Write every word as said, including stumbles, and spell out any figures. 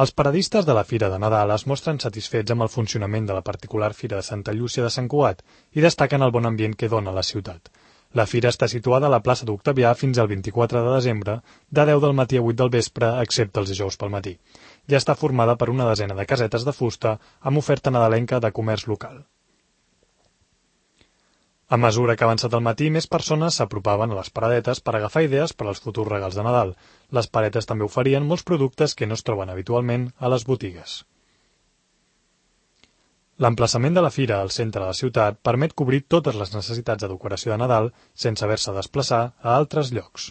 Els paradistes de la Fira de Nadal es mostren satisfets amb el funcionament de la particular Fira de Santa Llúcia de Sant Cugat i destaquen el bon ambient que dona a la ciutat. La fira està situada a la plaça d'Octavià fins al vint-i-quatre de desembre, de deu del matí a vuit del vespre, excepte els dijous pel matí. Ja està formada per una desena de casetes de fusta amb oferta nadalenca de comerç local. A mesura que ha avançat el matí, més persones s'apropaven a les paradetes per agafar idees per als futurs regals de Nadal. Les paretes també oferien molts productes que no es troben habitualment a les botigues. L'emplaçament de la fira al centre de la ciutat permet cobrir totes les necessitats de decoració de Nadal sense haver-se de desplaçar a altres llocs.